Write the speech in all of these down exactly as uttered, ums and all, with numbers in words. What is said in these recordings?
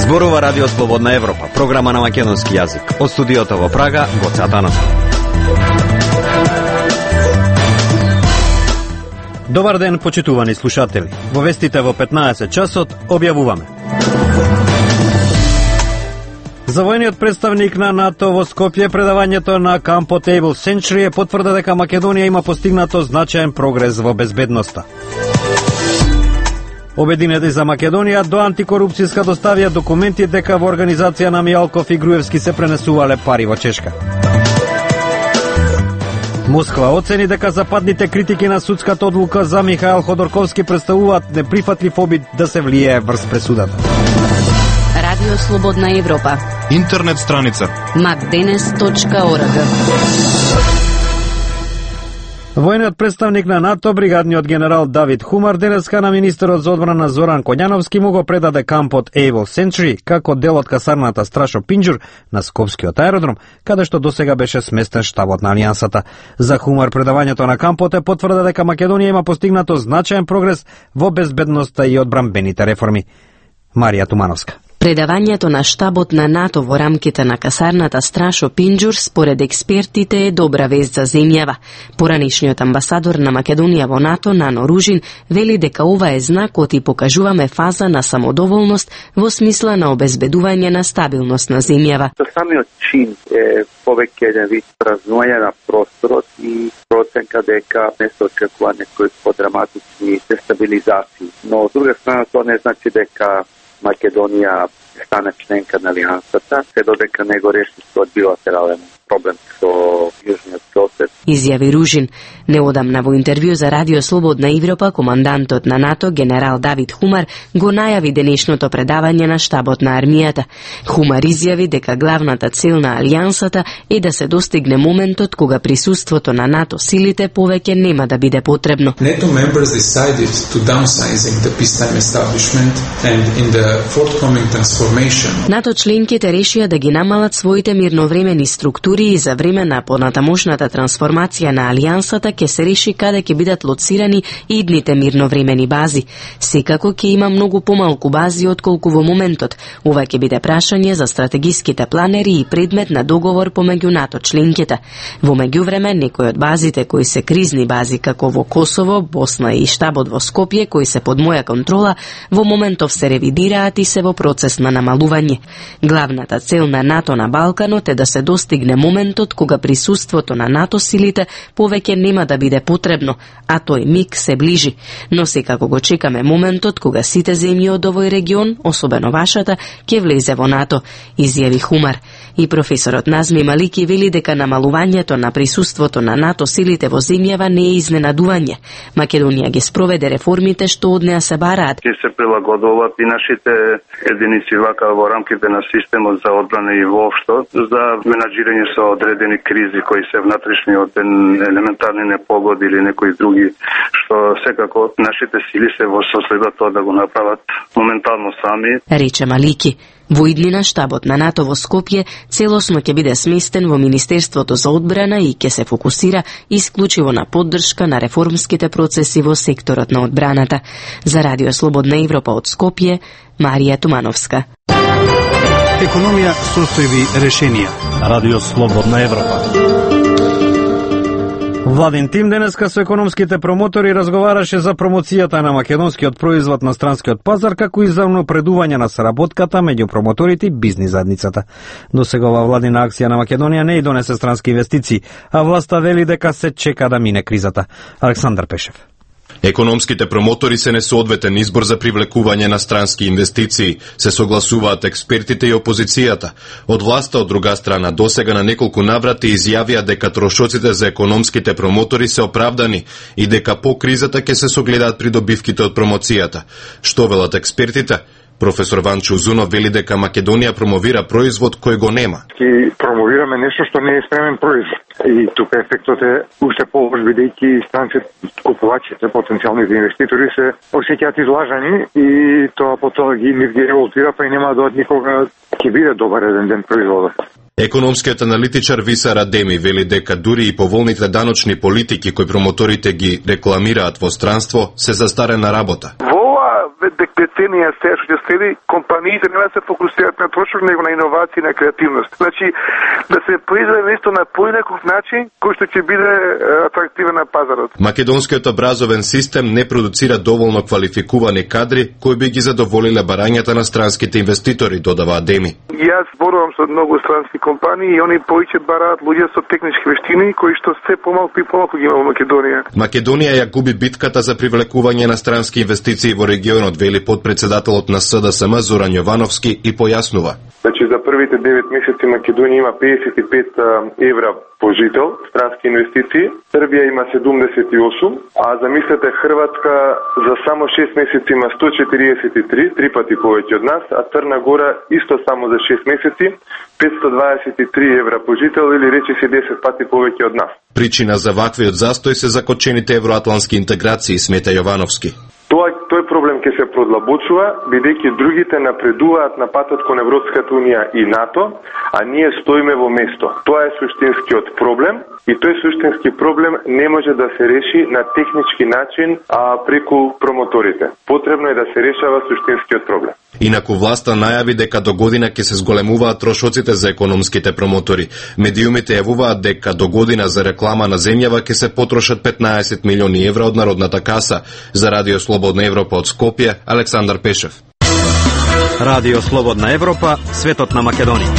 Зборува Радио Слободна Европа, програма на македонски јазик. Од студиото во Прага, Гоце Атанасов. Добар ден, почитувани слушатели. Во вестите во петнаесет часот објавуваме. За војниот представник на НАТО во Скопје, предавањето на кампот Able Century потврда дека Македонија има постигнато значаен прогрес во безбедноста. Обединети за Македонија до антикорупцијска доставија документи дека во организација на Мијалков и Груевски се пренесувале пари во Чешка. Москва оцени дека западните критики на судската одлука за Михаил Ходорковски представуваат неприфатлив обид да се влијае врз пресудата. Радио Слободна Европа. Интернет страница макденес точка орг. Војниот представник на НАТО, бригадниот генерал Давид Хумар, денеска на министерот за одбрана Зоран Коњановски му го предаде кампот Able Century како дел од касарната Страшо Пинџур на Скопскиот аеродром, каде што досега беше сместен штабот на Алијансата. За Хумар предавањето на кампот е потврда дека Македонија има постигнато значаен прогрес во безбедноста и одбранбените реформи. Марија Тумановска. Предавањето на штабот на НАТО во рамките на касарната Страшо Пинџур според експертите е добра вест за земјава. Поранишниот амбасадор на Македонија во НАТО, Нано Ружин, вели дека ова е знак и покажуваме фаза на самодоволност во смисла на обезбедување на стабилност на земјава. Самиот чин е повеќе еден вид празнување на просторот и проценка дека не се очекува некои подраматични дестабилизации. Но од друга страна тоа не значи дека Македонија стане членка на Алијансата, се додека не го реши својот билатерален проблем со јужниот сосед. Изјави Ружин. Неодамна во интервју за Радио Слободна Европа, командантот на НАТО, генерал Давид Хумар, го најави денешното предавање на штабот на армијата. Хумар изјави дека главната цел на Алијансата е да се достигне моментот кога присуството на НАТО силите повеќе нема да биде потребно. NATO members decided to downsizing the peacetime establishment and in the forthcoming transformation. НАТО членките решија да ги намалат своите мирновремени структури и за време на понатамошната трансформација на Алијансата ќе се реши каде ќе бидат лоцирани идните мирновремени бази. Секако ќе има многу помалку бази отколку во моментот. Ова ќе биде прашање за стратегиските планери и предмет на договор помеѓу НАТО членките. Во меѓувреме, некои од базите кои се кризни бази како во Косово, Босна и штабот во Скопје кои се под моја контрола, во моментов се ревидираат и се во процес на намалување. Главната цел на НАТО на Балканот е да се достигне моментот кога присуството на НАТО силите повеќе нема да биде потребно, а тој миг се ближи. Но секако го чекаме моментот кога сите земји од овој регион, особено вашата, ќе влезе во НАТО, изјави Хумар. И професорот Назми Малики вели дека намалувањето на присуството на НАТО силите во земјава не е изненадување. Македонија ги спроведе реформите што од неа се бараат. Ќе се прилагодуваат и нашите единици вака во рамките на системот за одбрана и воопшто за менаџирање со одредени кризи кои се внатрешни од елементарни непогоди или некои други, што секако нашите сили се во состојба тоа да го направат моментално сами. Рече Малики. Во иднина штабот на НАТО во Скопје целосно ќе биде сместен во Министерството за одбрана и ќе се фокусира исклучиво на поддршка на реформските процеси во секторот на одбраната. За Радио Слободна Европа од Скопје, Марија Тумановска. Економија, состојби, решенија. Радио Слободна Европа. Владин тим денеска со економските промотори разговараше за промоцијата на македонскиот производ на странскиот пазар, како и за унапредување на соработката меѓу промоторите и бизнис заедницата. Досега ова владина акција на Македонија не и донесе странски инвестиции, а власта вели дека се чека да мине кризата. Александар Пешев. Економските промотори се несоодветен избор за привлекување на странски инвестиции, се согласуваат експертите и опозицијата. Од власта, од друга страна, досега на неколку наврати изјавија дека трошоците за економските промотори се оправдани и дека по кризата ќе се согледаат придобивките од промоцијата. Што велат експертите? Професор Ванчо Узунов вели дека Македонија промовира производ кој го нема. Ки промовираме нешто што не е спремен производ. И тука ефектот е уште полош, бидејќи странците, купувачите, потенцијалните инвеститори се осеќаат излажани и тоа потоа ги нив ги револтира, па и нема да од никога ќе биде добар еден ден производот. Економскиот аналитичар Виса Радеми вели дека дури и поволните даночни политики кои промоторите ги рекламираат во странство се застарена работа. Во ова деценија се што ќе следи, компаниите нема да се фокусираат на трошок, него на иновации и на креативност. Значи да се произведе нешто на поинаков начин кој што ќе биде атрактивен на пазарот. Македонскиот образовен систем не продуцира доволно квалификувани кадри кои би ги задоволиле барањата на странските инвеститори, додава Адеми. Јас зборувам со многу странски компании и они повеќе бараат луѓе со технички вештини кои што се помалку и помалку ги има во Македонија. Македонија ја губи битката за привлекување на странски инвестиции во регионот, вели подпредседателот на С Д С М Зоран Јовановски и појаснува. Значи за првите девет месеци Македонија има педесет и пет евра по жител странски инвестиции, Србија има седумдесет и осум, а замислете Хрватска за само шест месеци има сто четириесет и три, три пати повеќе од нас, а Црна Гора исто само за шест месеци петстотини дваесет и три евра по жител или речиси десет пати повеќе од нас. Причина за ваквиот застој се закочените евроатлантски интеграции, смета Јовановски. Тоа, тој проблем ќе се продлабочува, бидејќи другите напредуваат на патот кон Европската Унија и НАТО, а ние стоиме во место. Тоа е суштинскиот проблем и тој суштински проблем не може да се реши на технички начин, а преку промоторите. Потребно е да се решава суштинскиот проблем. Инаку власта најави дека до година ќе се зголемуваат трошоците за економските промотори. Медиумите јавуваат дека до година за реклама на земјава ќе се потрошат петнаесет милиони евра од Народната каса. За Радио Слободна Европа од Скопје, Александар Пешев. Радио Слободна Европа, светот на Македонија.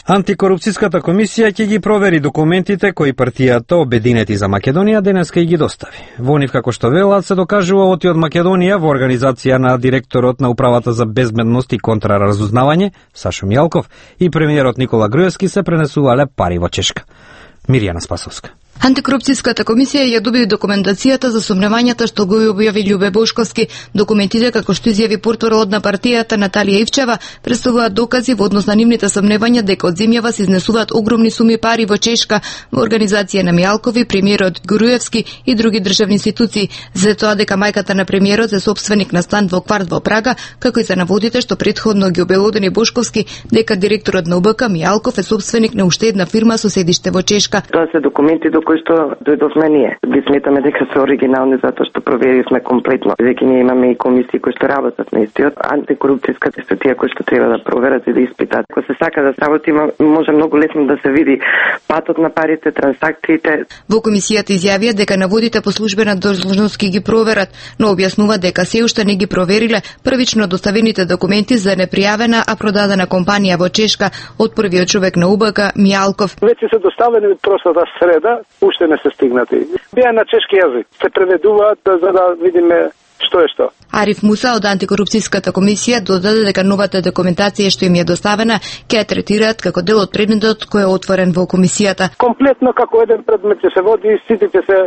Антикорупцијската комисија ќе ги провери документите кои партијата Обединети за Македонија денеска и ги достави. Во нив, како што велат, се докажува оти од Македонија во организација на директорот на Управата за безбедност и контраразузнавање Сашо Мијалков и премиерот Никола Груевски се пренесувале пари во Чешка. Мирјана Спасовска. Антикорупцијската комисија ја доби документацијата за сомневањата што го објави Љубе Бошковски. Документите, како што изјави портparol на партијата Наталија Ивчева, представуваат докази во однос на нивните сомневања дека од земјава се изнесуваат огромни суми пари во Чешка во организација на Мијалкови, премиерот Груевски и други државни институции. За тоа дека мајката на премиерот е собственик на стан во кварт во Прага, како и за наводите што претходно ги обелодени Бошковски дека директорот на У Б К Мијалков е собственик на уште една фирма со седиште во Чешка. Тоа се документи до кои што дојдовме ние. Ги сметаме дека се оригинални затоа што проверивме комплетно. Дека ние имаме и комисии кои што работат на истиот. Антикорупцијската се тие кои што треба да проверат и да испитат. Ако се сака да сработи, може многу лесно да се види патот на парите, трансакциите. Во комисијата изјавија дека наводите по службена должност ги проверат, но објаснува дека се уште не ги провериле првично доставените документи за непријавена, а продадена компанија во Чешка од првиот човек на У Б К Мијалков. Веќе се доставени од прошлата среда, уште не се стигнати. Беа на чешки јазик. Се преведуваат за да видиме што е што. Ариф Муса од Антикорупцијската комисија додаде дека новата документација што им е доставена ќе ја третираат како дел од предметот кој е отворен во комисијата. Комплетно како еден предмет ќе се води, сите ќе се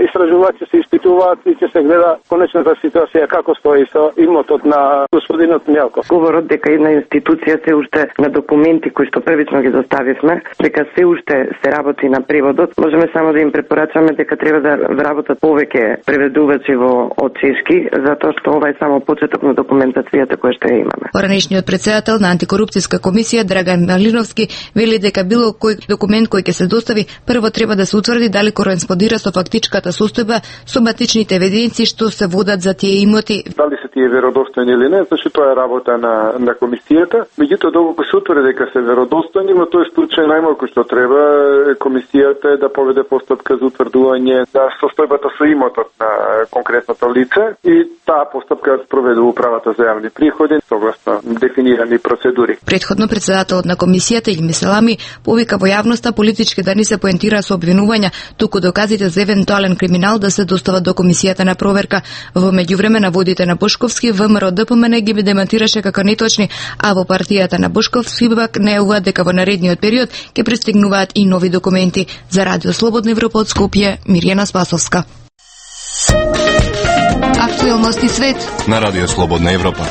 истражуваат, ќе се испитуваат и ќе се гледа конечната ситуација како стои со имотот на господинот Мијалков. Говорот дека една институција се уште на документи кои што првично ги доставивме, дека се уште се работи на преводот, можеме само да им препорачаме дека треба да работат повеќе преведувачи во од чешки, затоа што ова е само почеток на документацијата која што ја имаме. Поранешниот председател на Антикорупцијска комисија Драган Малиновски вели дека било кој документ кој ќе се достави, прво треба да се утврди дали кореспондира со фактичката состојба со матичните евиденции што се водат за тие имоти. Дали се тие веродостојни или не, зашто тоа е работа на на комисијата. Меѓутоа доколку се утврди дека се веродостојни, во тој случај најмалку што треба комисијата е да поведе постапка за утврдување на состојбата со имотот на конкретното лице и таа постапка спроведе управата за јавни приходи согласно дефинирани процедури. Претходно председателот на комисијата Илми Селами повика во јавноста политички да не се поентира со обвинувања, туку доказите за евентуален криминал да се достават до комисијата на проверка. Во меѓувреме наводите на Бошковски Вэ М Р Д П М Н ги демантираше како неточни, а во партијата на Бошковски пак најавуваат дека во наредниот период ќе пристигнуваат и нови документи. За Радио Слободна Европа од Скопје, Мирјана Спасовска. Актуелности свет на Радио Слободна Европа.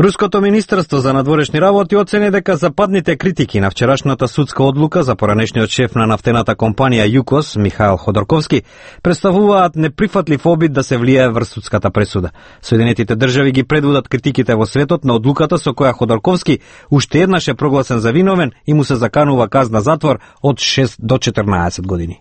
Руското министерство за надворешни работи оцени дека западните критики на вчерашната судска одлука за поранешниот шеф на нафтената компанија ЮКОС, Михаил Ходорковски, представуваат неприфатлив обид да се влијае врз судската пресуда. Соединетите држави ги предводат критиките во светот на одлуката со која Ходорковски уште еднаш е прогласен за виновен и му се заканува казна затвор од шест до четрнаесет години.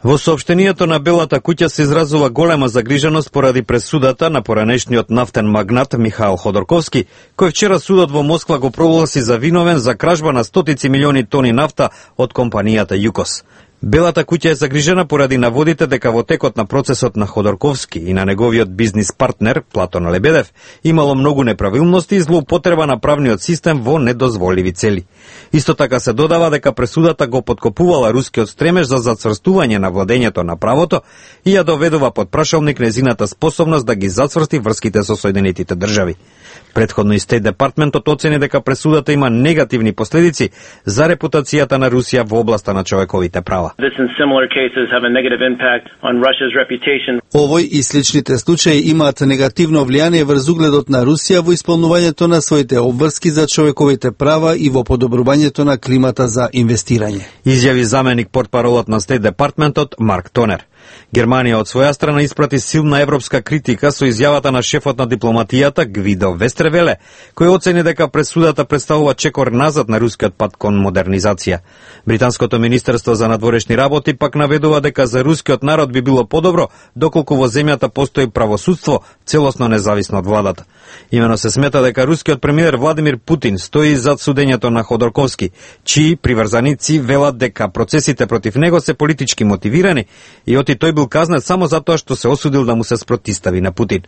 Во соопштението на Белата куќа се изразува голема загриженост поради пресудата на поранешниот нафтен магнат Михаил Ходорковски, кој вчера судот во Москва го прогласи за виновен за кражба на стотици милиони тони нафта од компанијата ЮКОС. Белата куќа е загрижена поради наводите дека во текот на процесот на Ходорковски и на неговиот бизнис партнер Платон Лебедев имало многу неправилности и злоупотреба на правниот систем во недозволиви цели. Исто така се додава дека пресудата го поткопувала рускиот стремеж за зацврстување на владењето на правото и ја доведува под прашалник незината способност да ги зацврсти врските со Соединетите држави. Предходно и Стейт Департментот оцени дека пресудата има негативни последици за репутацијата на Русија во областа на човековите права. Овој и сличните случаи имаат негативно влијание врз угледот на Русија во исполнувањето на своите обврски за човековите права и во подобрувањето на климата за инвестирање. Изјави заменик портпаролот на Стейт Департментот Марк Тонер. Германија од своја страна испрати силна европска критика со изјавата на шефот на дипломатијата Гвидо Вестревеле, кој оцени дека пресудата представува чекор назад на рускиот пат кон модернизација. Британското министерство за надворешни работи пак наведува дека за рускиот народ би било подобро доколку во земјата постои правосудство целосно независно од владата. Имено се смета дека рускиот премиер Владимир Путин стои зад судењето на Ходорковски, чии приврзаници велат дека процесите против него се политички мотивирани и оти тој бил казнет само затоа што се осудил да му се спротистави на Путин.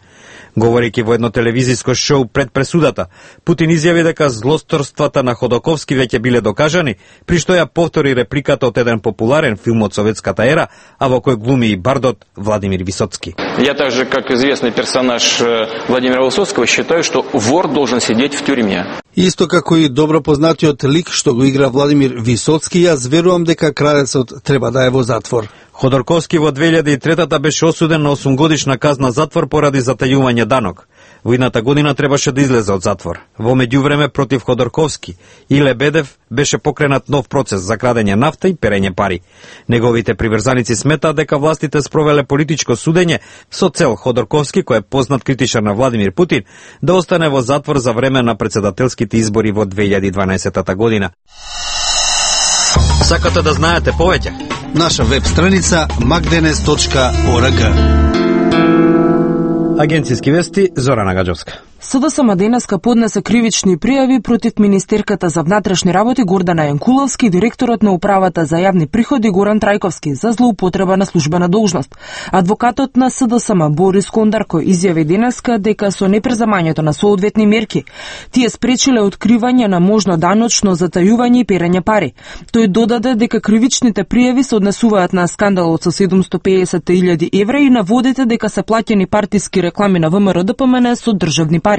Говорејќи во едно телевизиско шоу пред пресудата, Путин изјави дека злосторствата на Ходорковски веќе биле докажани, при што ја повтори репликата од еден популарен филм од советската ера, а во кој глуми и бардот Владимир Висоцки. Я также, как известный персонаж Владимира Высоцкого, считаю, что вор должен сидеть в тюрьме. Исто како и добро познатиот лик што го игра Владимир Висоцки, јас верувам дека кралецот треба да е во затвор. Ходорковски во две илјади и трета беше осуден на осумгодишна казна затвор поради затајување данок. Во идната година требаше да излезе од затвор. Во меѓувреме против Ходорковски и Лебедев беше покренат нов процес за крадење нафта и перење пари. Неговите приврзаници сметаат дека властите спровеле политичко судење со цел Ходорковски, кој е познат критичар на Владимир Путин, да остане во затвор за време на председателските избори во две илјади и дванаесета година. Сакате да знаете повеќе? Наша веб страница макденес точка орг. Агенцијски вести, Зорана Гаджовска. СДСМ денеска поднесе кривични пријави против министерката за внатрешни работи Гордана Јанкуловски и директорот на управата за јавни приходи Горан Трајковски за злоупотреба на службена должност. Адвокатот на СДСМ Борис Кондарко изјави денеска дека со непреземањето на соодветни мерки тие спречиле откривање на можно даночно затајување и перење пари. Тој додаде дека кривичните пријави се однесуваат на скандалот со седумстотини и педесет илјади евра и наводите дека се плаќани партиски реклами на ВМРО Д П М Н со државни пари.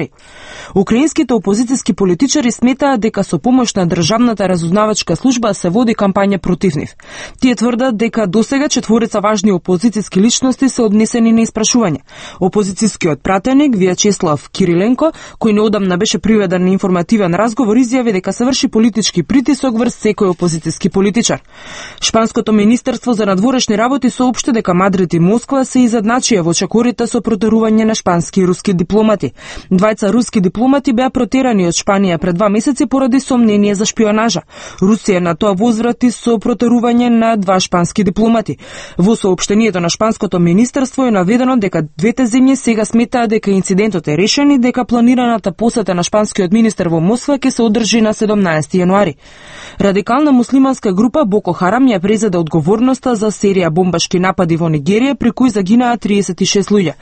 Украинските опозицијски политичари сметаат дека со помош на државната разузнавачка служба се води кампања против нив. Тие тврдат дека досега четворица важни опозицијски личности се однесени на испрашување. Опозицијскиот пратеник Вјачеслав Кириленко, кој неодамна беше приведен на информативен разговор, изјави дека се врши политички притисок врз секој опозицијски политичар. Шпанското министерство за надворешни работи соопшти дека Мадрид и Москва се изедначија во чекорите со протерување на шпански и руски дипломати. Двајца руски дипломати беа протерани од Шпанија пред два месеци поради сомнение за шпионажа. Русија на тоа возврати со протерување на два шпански дипломати. Во соопштението на шпанското министерство е наведено дека двете земји сега сметаат дека инцидентот е решен и дека планираната посета на шпанскиот министер во Москва ќе се одржи на седумнаесети јануари. Радикална муслиманска група Боко Харам ја презеде одговорноста за серија бомбашки напади во Нигерија при кои загинаа триесет и шест луѓе.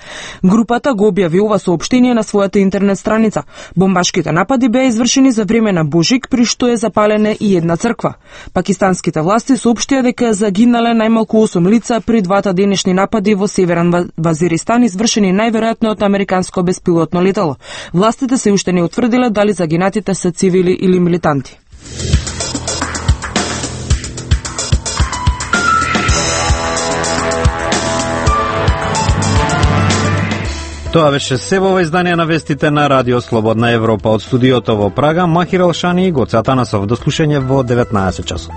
Групата го објави ова соопштение на својата интернет страница. Бомбашките напади беа извршени за време на Божик, при што е запалена и една црква. Пакистанските власти соопштија дека загинале најмалку осум лица при двата денешни напади во Северен Вазиристан, извршени најверојатно од американско беспилотно летало. Властите се уште не утврдиле дали загинатите се цивили или милитанти. Тоа беше се во издание на вестите на Радио Слободна Европа. Од студиото во Прага, Махир Алшани и Гоце Атанасов. До слушање во деветнаесет часот.